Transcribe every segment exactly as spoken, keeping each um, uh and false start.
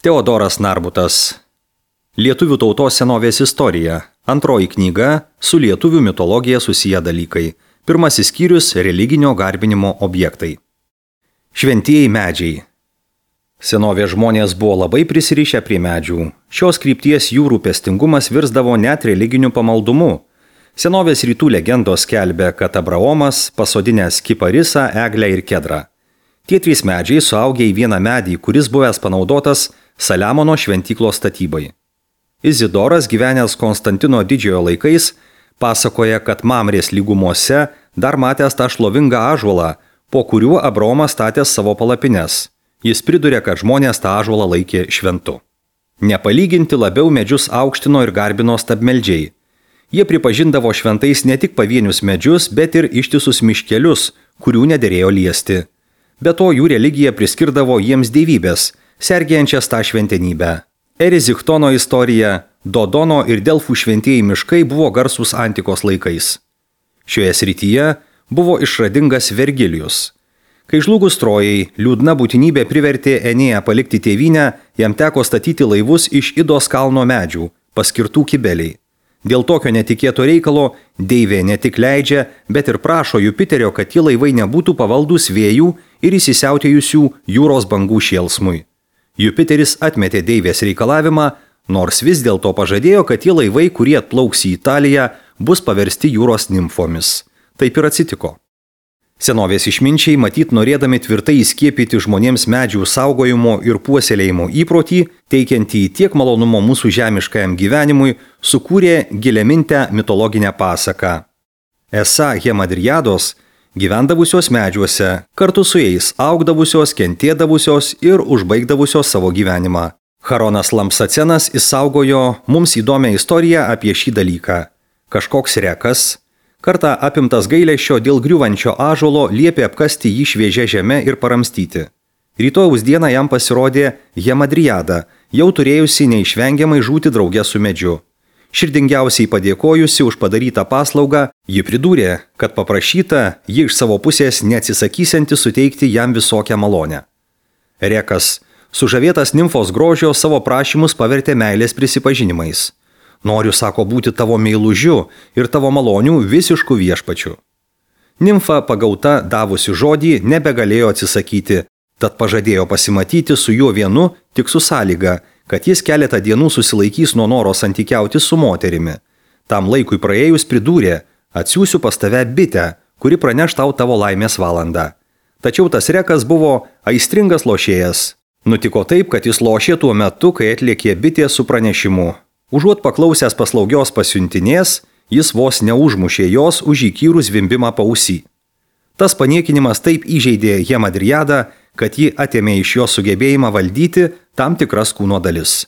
Teodoras Narbutas. Lietuvių tautos senovės istorija. Antroji knyga su lietuvių mitologija susiję dalykai. Pirmasis skyrius – religinio garbinimo objektai. Šventieji medžiai. Senovės žmonės buvo labai prisirišę prie medžių. Šios krypties jų rūpestingumas virsdavo net religiniu pamaldumu. Senovės rytų legendos skelbia, kad Abraomas pasodinęs kiparisą, eglę ir kedrą. Tie trys medžiai suaugė į vieną medį, kuris buvęs panaudotas Saliamono šventyklos statybai. Izidoras, gyvenęs Konstantino didžiojo laikais, pasakoja, kad Mamrės lygumose dar matęs tą šlovingą ąžuolą, po kuriuo Abraomas statė savo palapines. Jis priduria, kad žmonės tą ąžuolą laikė šventu. Nepalyginti labiau medžius aukštino ir garbino stabmeldžiai. Jie pripažindavo šventais ne tik pavienius medžius, bet ir ištisus miškelius, kurių nederėjo liesti. Be to jų religija priskirdavo jiems dievybės, sergėjančias tą šventenybę. Eriziktono istorija, Dodono ir Delfų šventieji miškai buvo garsūs antikos laikais. Šioje srityje buvo išradingas Vergilijus. Kai žlugus Trojai, liūdna būtinybė privertė Enėją palikti tėvynę, jam teko statyti laivus iš Idos kalno medžių, paskirtų Kibeliai. Dėl tokio netikėto reikalo deivė ne tik leidžia, bet ir prašo Jupiterio, kad tie laivai nebūtų pavaldus vėjų ir įsisiautėjusių jūros bangų šėlsmui. Jupiteris atmetė deivės reikalavimą, nors vis dėlto pažadėjo, kad tie laivai, kurie atplauks į Italiją, bus paversti jūros nimfomis. Taip ir atsitiko. Senovės išminčiai, matyt norėdami tvirtai įskiepyti žmonėms medžių saugojimo ir puoselėjimo įprotį, teikiantį tiek malonumo mūsų žemiškajam gyvenimui, sukūrė giliamintę mitologinę pasaką. Esą hemadriados, gyvendavusios medžiuose, kartu su jais augdavusios, kentėdavusios ir užbaigdavusios savo gyvenimą. Charonas Lampsacenas išsaugojo mums įdomią istoriją apie šį dalyką. Kažkoks rekas, kartą apimtas gailesčio dėl griūvančio ąžuolo, liepė apkasti jį šviežia žeme ir paramstyti. Rytojaus dieną jam pasirodė Hemadriada, jau turėjusi neišvengiamai žūti drauge su medžiu. Širdingiausiai padėkojusi už padarytą paslaugą, ji pridūrė, kad paprašyta, ji iš savo pusės neatsisakysianti suteikti jam visokią malonę. Rekas, sužavėtas nimfos grožio, savo prašymus pavertė meilės prisipažinimais. Noriu, sako, būti tavo meilužiu ir tavo malonių visiškų viešpačių. Nimfa pagauta davusi žodį nebegalėjo atsisakyti, tad pažadėjo pasimatyti su juo vienu tik su sąlyga, kad jis keletą dienų susilaikys nuo noro santykiauti su moterimi. Tam laikui praėjus pridūrė, atsiųsiu pas tave bitę, kuri praneš tau tavo laimės valandą. Tačiau tas rekas buvo aistringas lošėjas. Nutiko taip, kad jis lošė tuo metu, kai atliekė bitė su pranešimu. Užuot paklausęs paslaugios pasiuntinės, jis vos neužmušė jos už įkyrų zvimbimą pausį. Tas paniekinimas taip įžeidė Hemadriadą, kad ji atėmė iš jo sugebėjimą valdyti tam tikras kūno dalis.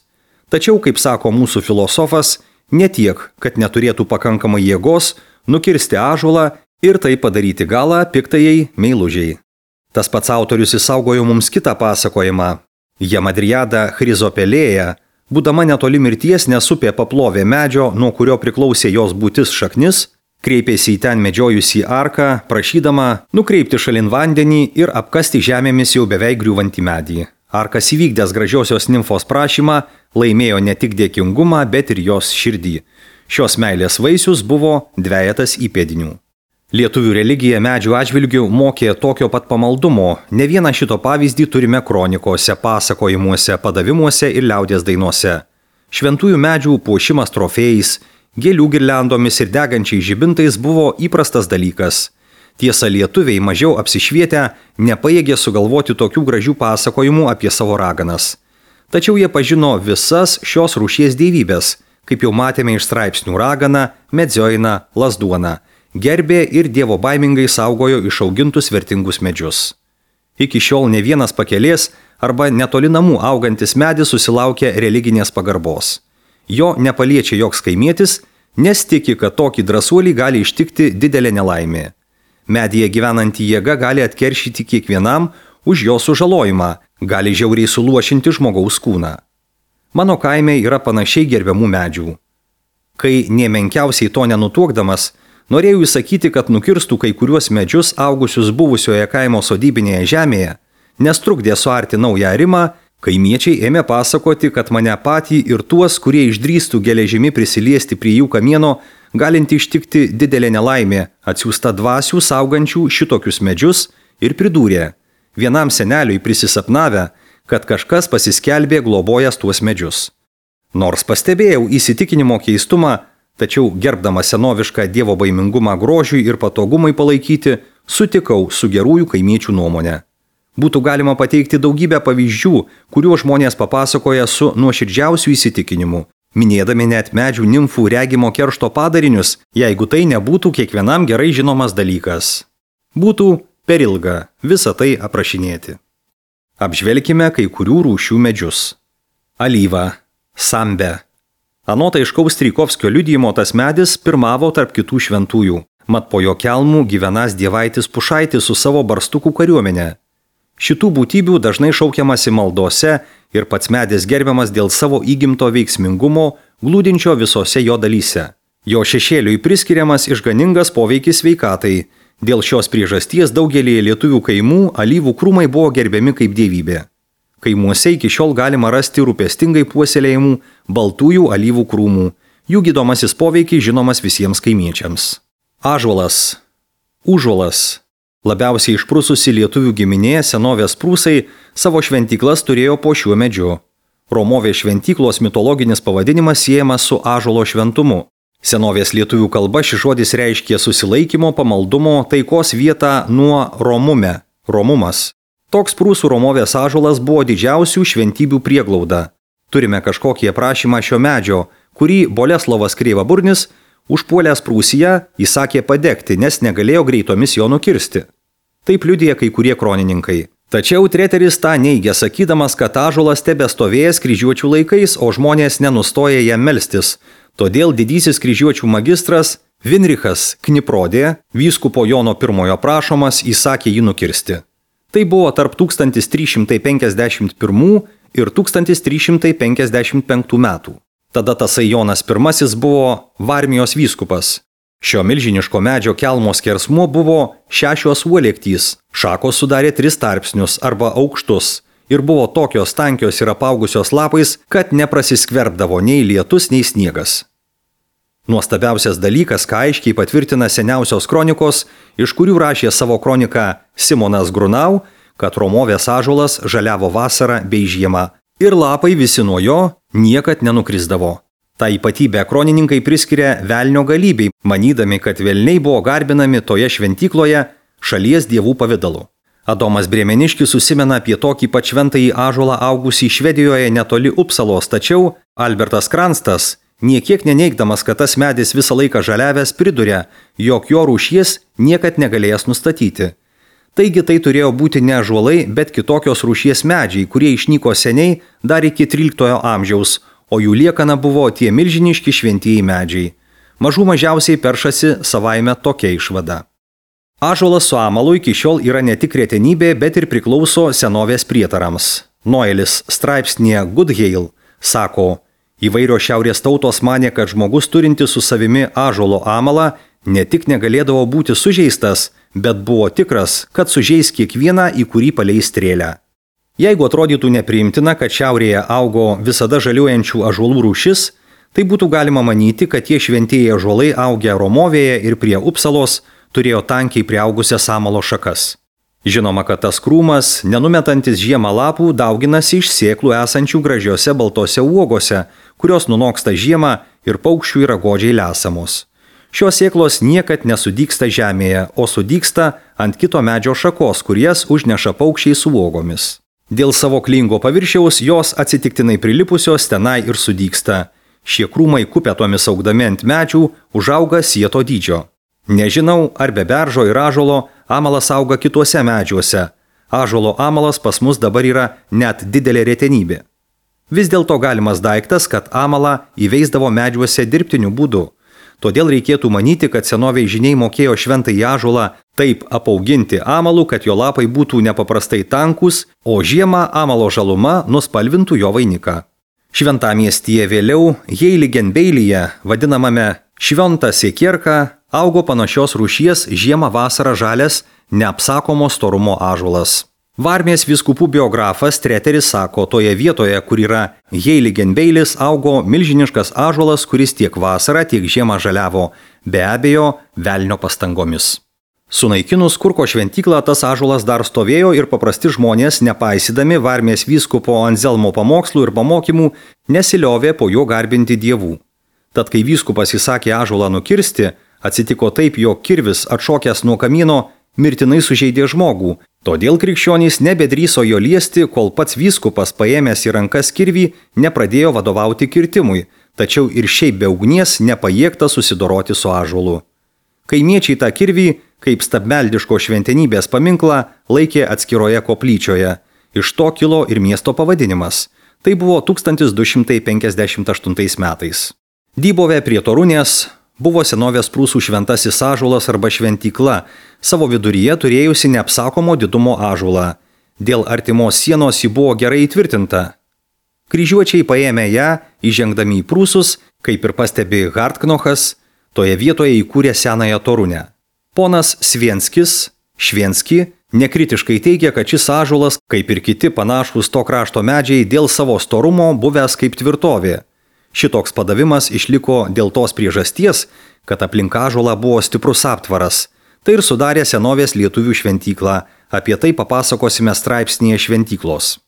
Tačiau, kaip sako mūsų filosofas, ne tiek, kad neturėtų pakankamai jėgos nukirsti ąžuolą ir tai padaryti galą piktajai meilužiai. Tas pats autorius išsaugojo mums kitą pasakojimą. Hemadriada Chrizopelėja, būdama netoli mirties, nesupė paplovė medžio, nuo kurio priklausė jos būtis šaknis, kreipėsi į ten medžiojusį arką, prašydama nukreipti šalin vandenį ir apkasti žemėmis jau beveik griūvantį medį. Arkas įvykdęs gražiosios nimfos prašymą laimėjo ne tik dėkingumą, bet ir jos širdį. Šios meilės vaisius buvo dvejetas įpėdinių. Lietuvių religija medžių atžvilgių mokė tokio pat pamaldumo. Ne vieną šito pavyzdį turime kronikose, pasakojimuose, padavimuose ir liaudies dainuose. Šventųjų medžių puošimas trofėjais, gėlių girliandomis ir degančiais žibintais buvo įprastas dalykas. Tiesa, lietuviai mažiau apsišvietę nepajėgė sugalvoti tokių gražių pasakojimų apie savo raganas. Tačiau jie pažino visas šios rūšies dievybės, kaip jau matėme iš straipsnių ragana, medžioina, lazduona. Gerbė ir dievo baimingai saugojo išaugintus vertingus medžius. Iki šiol ne vienas pakelės arba netoli namų augantis medis susilaukia religinės pagarbos. Jo nepaliečia joks kaimietis, nes tiki, kad tokį drąsuolį gali ištikti didelė nelaimė. Medyje gyvenanti jėga gali atkeršyti kiekvienam už jo sužalojimą, gali žiauriai suluošinti žmogaus kūną. Mano kaime yra panašiai gerbiamų medžių. Kai nė menkiausiai to nenutuokdamas, norėjau įsakyti, kad nukirstų kai kuriuos medžius augusius buvusioje kaimo sodybinėje žemėje, nes trukdė suarti naują arimą, Kaimiečiai ėmė pasakoti, kad mane patį ir tuos, kurie išdrįstų geležimi prisiliesti prie jų kamieno, galinti ištikti didelė nelaimė, atsiųsta dvasių saugančių šitokius medžius, ir pridūrė, vienam seneliui prisisapnavę, kad kažkas pasiskelbė globojęs tuos medžius. Nors pastebėjau įsitikinimo keistumą, tačiau gerbdama senovišką dievo baimingumą grožiui ir patogumai palaikyti, sutikau su gerųjų kaimiečių nuomonę. Būtų galima pateikti daugybę pavyzdžių, kuriuo žmonės papasakoja su nuoširdžiausiu įsitikinimu, minėdami net medžių nimfų regimo keršto padarinius, jeigu tai nebūtų kiekvienam gerai žinomas dalykas. Būtų per ilga visą tai aprašinėti. Apžvelkime kai kurių rūšių medžius. Alyva, sambe. Anot aiškaus Strijkovskio liudijimo tas medis pirmavo tarp kitų šventųjų, mat po jo kelmų gyvenąs dievaitis Pušaitis su savo barstukų kariuomenė. Šitų būtybių dažnai šaukiamasi maldose ir pats medis gerbiamas dėl savo įgimto veiksmingumo, glūdinčio visose jo dalyse. Jo šešėliui priskiriamas išganingas poveikis sveikatai. Dėl šios priežasties daugelį lietuvių kaimų alyvų krūmai buvo gerbiami kaip dievybė. Kaimuose iki šiol galima rasti rūpestingai puoselėjimų baltųjų alyvų krūmų. Jų gydomasis poveikis žinomas visiems kaimiečiams. Ąžuolas. Užuolas. Labiausiai išprususi lietuvių giminė senovės prūsai savo šventyklas turėjo po šiuo medžiu. Romovės šventyklos mitologinis pavadinimas siejamas su ąžuolo šventumu. Senovės lietuvių kalba šis žodis reiškė susilaikymo, pamaldumo, taikos vietą nuo romume, romumas. Toks prūsų Romovės ąžuolas buvo didžiausių šventybių prieglauda. Turime kažkokį aprašymą šio medžio, kurį Boleslovas Kreivaburnis užpuolęs Prūsiją įsakė padegti, nes negalėjo greitomis jo nukirsti. Taip liudija kai kurie kronininkai. Tačiau Treteris tą neigia, sakydamas, kad ąžuolas tebestovėjęs kryžiuočių laikais, o žmonės nenustoja jam melstis. Todėl didysis kryžiuočių magistras Vinrichas Kniprodė, vyskupo Jono pirmojo prašomas, įsakė jį nukirsti. Tai buvo tarp tūkstantis trys šimtai penkiasdešimt pirmų ir tūkstantis trys šimtai penkiasdešimt penktų metų. Tada tasai Jonas pirmasis buvo Varmijos vyskupas. Šio milžiniško medžio kelmo skersmuo buvo šešios uolektys, šakos sudarė tris tarpsnius arba aukštus ir buvo tokios tankios ir apaugusios lapais, kad neprasiskverbdavo nei lietus, nei sniegas. Nuostabiausias dalykas, ką aiškiai patvirtina seniausios kronikos, iš kurių rašė savo kroniką Simonas Grunau, kad Romovės ąžuolas žaliavo vasarą bei žiemą ir lapai visi nuo jo niekad nenukrisdavo. Ta ypatybė kronininkai priskiria velnio galybei, manydami, kad velniai buvo garbinami toje šventykloje šalies dievų pavidalu. Adomas Brėmeniškis susimena apie tokį pat šventąjį ąžuolą augusį Švedijoje netoli Upsalos, tačiau Albertas Kranstas, niekiek neneigdamas, kad tas medis visą laiką žaliavęs, priduria, jog jo rūšies niekad negalėjęs nustatyti. Taigi tai turėjo būti ne ąžuolai, bet kitokios rūšies medžiai, kurie išnyko seniai dar iki tryliktojo amžiaus, o jų liekana buvo tie milžiniški šventieji medžiai. Mažų mažiausiai peršasi savaime tokia išvada. Ąžuolas su amalu iki šiol yra ne tik retenybė, bet ir priklauso senovės prietarams. Noelis straipsnėje Goodhale sako, įvairios šiaurės tautos manė, kad žmogus turintis su savimi ąžuolo amalą ne tik negalėdavo būti sužeistas, bet buvo tikras, kad sužeis kiekvieną, į kurį paleis strėlę. Jeigu atrodytų nepriimtina, kad šiaurėje augo visada žaliuojančių ąžuolų rūšis, tai būtų galima manyti, kad tie šventieji ąžuolai augę Romovėje ir prie Upsalos turėjo tankiai priaugusias amalo šakas. Žinoma, kad tas krūmas, nenumetantis žiemą lapų, dauginasi iš sėklų esančių gražiose baltose uogose, kurios nunoksta žiemą ir paukščių yra godžiai lesamos. Šios sėklos niekad nesudygsta žemėje, o sudygsta ant kito medžio šakos, kuries užneša paukščiai su uogomis. Dėl savo klingo paviršiaus jos atsitiktinai prilipusios tenai ir sudygsta. Šie krūmai kupetomis augdami ant medžių užauga sieto dydžio. Nežinau, ar be beržo ir ąžuolo amalas auga kituose medžiuose. Ąžuolo amalas pas mus dabar yra net didelė retenybė. Vis dėlto galimas daiktas, kad amalą įveisdavo medžiuose dirbtiniu būdu. Todėl reikėtų manyti, kad senoviai žiniai mokėjo šventąjį ąžuolą taip apauginti amalu, kad jo lapai būtų nepaprastai tankus, o žiemą amalo žaluma nuspalvintų jo vainiką. Šventamiestyje vėliau Heiligenbeilyje, vadinamame Šventa Siekierka, augo panašios rūšies žiemą vasarą žalias neapsakomo storumo ąžuolas. Varmės vyskupų biografas Treteris sako, toje vietoje, kur yra Heiligenbeilis, augo milžiniškas ąžuolas, kuris tiek vasarą, tiek žiemą žaliavo, be abejo, velnio pastangomis. Sunaikinus Kurko šventyklą, tas ąžuolas dar stovėjo ir paprasti žmonės, nepaisydami Varmės vyskupo Anzelmo pamokslų ir pamokymų, nesiliovė po jo garbinti dievų. Tad kai vyskupas įsakė ąžuolą nukirsti, atsitiko taip, jog kirvis atšokęs nuo kamieno mirtinai sužeidė žmogų, todėl krikščionys nebedryso jo liesti, kol pats vyskupas paėmęs į rankas kirvį nepradėjo vadovauti kirtimui, tačiau ir šiaip be ugnies nepajėgta susidoroti su ąžuolu. Kaimiečiai tą kirvį, kaip stabmeldiško šventenybės paminklą, laikė atskiroje koplyčioje. Iš to kilo ir miesto pavadinimas. Tai buvo tūkstantis du šimtai penkiasdešimt aštuntais metais. Dybove prie Torunės buvo senovės prūsų šventasis ąžuolas arba šventykla, savo viduryje turėjusi neapsakomo didumo ąžuolą. Dėl artimos sienos ji buvo gerai įtvirtinta. Kryžiuočiai paėmė ją, įžengdami į prūsus, kaip ir pastebi Hartknochas, toje vietoje įkūrė senąją Torunę. Ponas Svienskis, Švenski, nekritiškai teigia, kad šis ąžuolas, kaip ir kiti panašūs to krašto medžiai, dėl savo storumo buvęs kaip tvirtovė. Šitoks padavimas išliko dėl tos priežasties, kad aplink ąžuolą buvo stiprus aptvaras. Tai ir sudarė senovės lietuvių šventyklą. Apie tai papasakosime straipsnyje Šventyklos.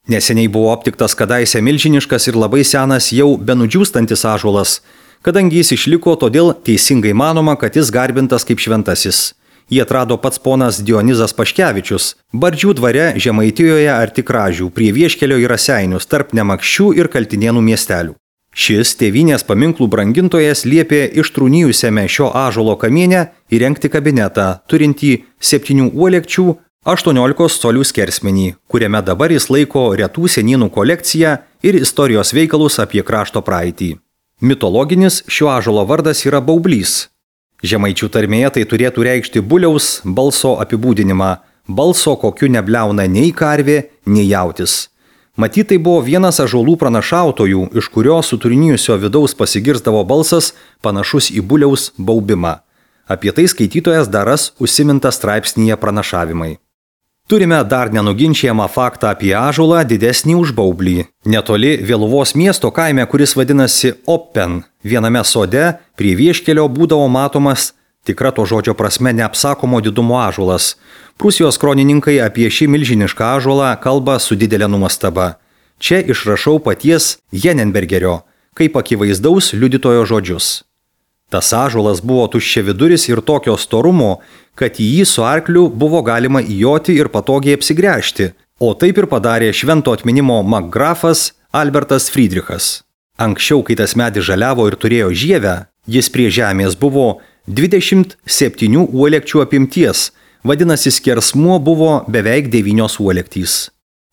Neseniai buvo aptiktas kadaise milžiniškas ir labai senas jau benudžiūstantis ąžuolas. Kadangi jis išliko, todėl teisingai manoma, kad jis garbintas kaip šventasis. Jį atrado pats ponas Dionizas Paškevičius, Bardžių dvare Žemaitijoje arti Kražių, prie Vieškelio į Raseinius, tarp Nemakščių ir Kaltinėnų miestelių. Šis tėvynės paminklų brangintojas liepė ištrūnijusiame šio ąžuolo kamiene įrengti kabinetą, turintį septynių uolekčių, aštuoniolikos colių skersmenį, kuriame dabar jis laiko retų senynų kolekciją ir istorijos veikalus apie krašto praeitį. Mitologinis šio ąžuolo vardas yra baublys. Žemaičių tarmėje tai turėtų reikšti buliaus balso apibūdinimą, balso, kokiu nebliauna nei karvė, nei jautis. Matyt, tai buvo vienas ąžuolų pranašautojų, iš kurio suturinijusio vidaus pasigirzdavo balsas panašus į buliaus baubimą. Apie tai skaitytojas dar ras užsiminta straipsnyje Pranašavimai. Turime dar nenuginčiamą faktą apie ąžuolą didesnį už baublį. Netoli Vėluvos miesto kaime, kuris vadinasi Oppen, viename sode prie Vieškelio būdavo matomas tikra to žodžio prasme neapsakomo didumo ąžuolas. Prūsijos kronininkai apie šį milžinišką ąžuolą kalba su didelė nuostaba. Čia išrašau paties Jenenbergerio, kaip akivaizdaus liudytojo žodžius. Tas ąžuolas buvo tuščiaviduris ir tokio storumo, kad į jį su arkliu buvo galima įjoti ir patogiai apsigręžti, o taip ir padarė švento atminimo markgrafas Albertas Friedrichas. Anksčiau, kai tas medis žaliavo ir turėjo žievę, jis prie žemės buvo dvidešimt septynių uolekčių apimties, vadinasi skersmuo buvo beveik devynios uolektys.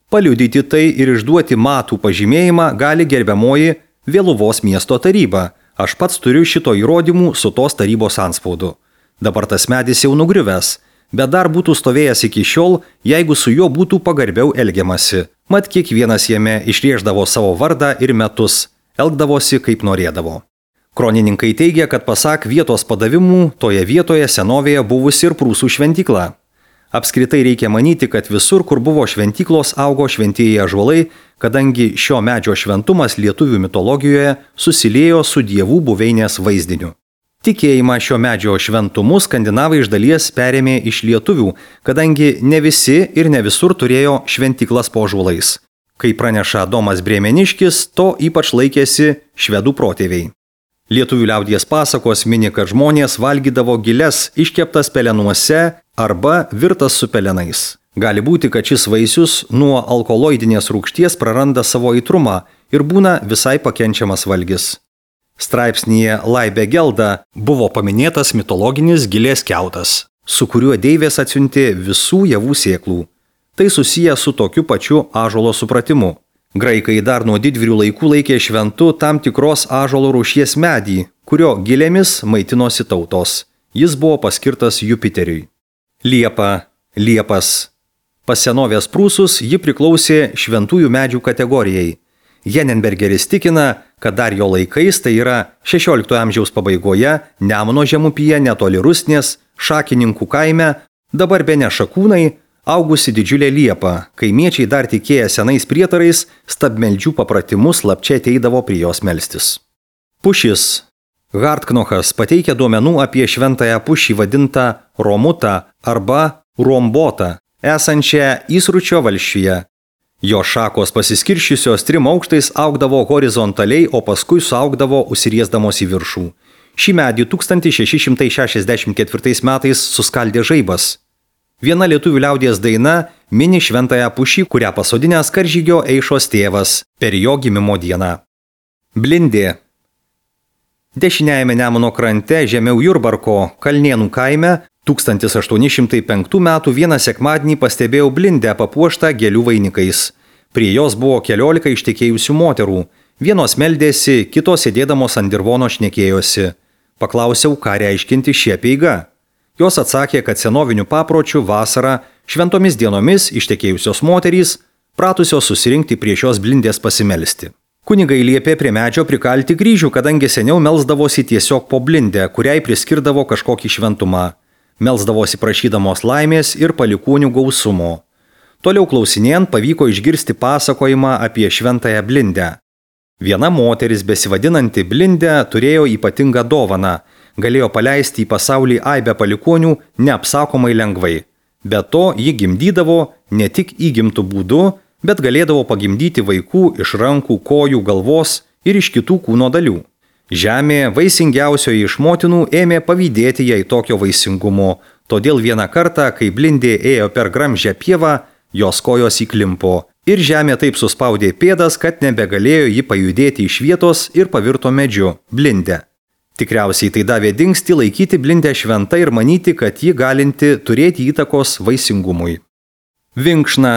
Paliudyti tai ir išduoti matų pažymėjimą gali gerbiamoji Vėluvos miesto taryba. Aš pats turiu šito įrodymų su tos tarybos antspaudu. Dabar tas medis jau nugriuvęs, bet dar būtų stovėjęs iki šiol, jeigu su juo būtų pagarbiau elgiamasi. Mat kiekvienas jame išrėždavo savo vardą ir metus, elgdavosi kaip norėdavo. Kronininkai teigia, kad pasak vietos padavimų, toje vietoje senovėje buvusi ir prūsų šventykla. Apskritai reikia manyti, kad visur, kur buvo šventyklos, augo šventieji ąžuolai, kadangi šio medžio šventumas lietuvių mitologijoje susiliejo su dievų buveinės vaizdiniu. Tikėjimą šio medžio šventumu skandinavai iš dalies perėmė iš lietuvių, kadangi ne visi ir ne visur turėjo šventyklas po ąžuolais. Kai praneša Domas Brėmeniškis, to ypač laikėsi švedų protėviai. Lietuvių liaudies pasakos mini, kad žmonės valgydavo giles iškeptas pelenuose arba virtas su pelenais. Gali būti, kad šis vaisius nuo alkaloidinės rūgšties praranda savo aitrumą ir būna visai pakenčiamas valgis. Straipsnyje Laibe Gelda buvo paminėtas mitologinis gilės kiautas, su kuriuo deivės atsiuntė visų javų sėklų. Tai susiję su tokiu pačiu ąžuolo supratimu. Graikai dar nuo didvyrių laikų laikė šventu tam tikros ąžuolo rūšies medį, kurio gilėmis maitinosi tautos. Jis buvo paskirtas Jupiteriui. Liepa, liepas. Pas senovės prūsus ji priklausė šventųjų medžių kategorijai. Jenenbergeris tikina, kad dar jo laikais, tai yra šešioliktojo amžiaus pabaigoje, Nemuno žemupyje netoli Rusnės, Šakininkų kaime, dabar bene Šakūnai, Augusi didžiulė liepa, kaimiečiai dar tikėję senais prietarais, stabmeldžių papratimus slapčia ateidavo prie jos melstis. Pušis. Hartknochas pateikia duomenų apie šventąją pušį vadintą Romutą arba Rombotą, esančią Įsručio valsčiuje. Jo šakos pasiskirščiusios trim aukštais augdavo horizontaliai, o paskui suaugdavo užsiriesdamos į viršų. Šį medį tūkstantis šeši šimtai šešiasdešimt ketvirtais metais suskaldė žaibas. Viena lietuvių liaudies daina mini šventąją pušį, kurią pasodinęs karžygio Eišos tėvas per jo gimimo dieną. Blindė. Dešiniajame Nemuno krante žemiau Jurbarko Kalnėnų kaime tūkstantis aštuoni šimtai penktų metų vieną sekmadienį pastebėjau blindę papuoštą gėlių vainikais. Prie jos buvo keliolika ištekėjusių moterų. Vienos meldėsi, kitos sėdėdamos ant dirvono šnekėjosi. Paklausiau, ką reiškinti šie apeiga. Jos atsakė, kad senovinių papročių vasarą šventomis dienomis ištekėjusios moterys pratusios susirinkti prie šios blindės pasimelsti. Kunigai liepė prie medžio prikalti kryžių, kadangi seniau melsdavosi tiesiog po blindę, kuriai priskirdavo kažkokį šventumą. Melsdavosi prašydamos laimės ir palikuonių gausumo. Toliau klausinėjant pavyko išgirsti pasakojimą apie šventąją blindę. Viena moteris besivadinanti Blindę turėjo ypatingą dovaną, galėjo paleisti į pasaulį aibę palikuonių neapsakomai lengvai. Be to, ji gimdydavo ne tik įgimtų būdu, bet galėdavo pagimdyti vaikų iš rankų, kojų, galvos ir iš kitų kūno dalių. Žemė, vaisingiausioji iš motinų, ėmė pavydėti jai tokio vaisingumo, todėl vieną kartą, kai Blindė ėjo per gramžę pievą, jos kojos įklimpo. Ir žemė taip suspaudė pėdas, kad nebegalėjo ji pajudėti iš vietos ir pavirto medžiu – Blindę. Tikriausiai tai davė dingstį laikyti Blindę šventą ir manyti, kad ji galinti turėti įtakos vaisingumui. Vinkšna.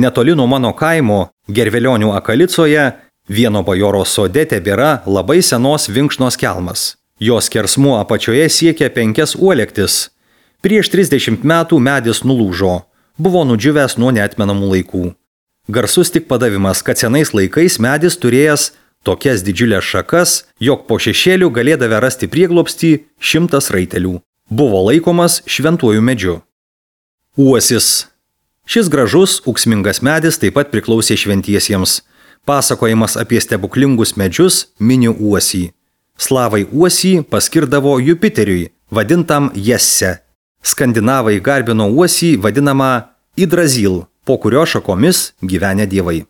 Netoli nuo mano kaimo, Gervelionių Akalicoje, vieno bajoro sode tebėra labai senos vinkšnos kelmas. Jos skersmuo apačioje siekia penkias uolektis. Prieš trisdešimt metų medis nulūžo. Buvo nudžiūvęs nuo neatmenamų laikų. Garsus tik padavimas, kad senais laikais medis turėjęs tokias didžiulės šakas, jog po šešėlių galėdavę rasti prieglobstį šimtas raitelių. Buvo laikomas šventuoju medžiu. Uosis. Šis gražus, ūksmingas medis taip pat priklausė šventiesiems. Pasakojimas apie stebuklingus medžius mini uosį. Slavai uosį paskirdavo Jupiteriui, vadintam Jesse. Skandinavai garbino uosį vadinamą Idrazil, po kurio šakomis gyvenę dievai.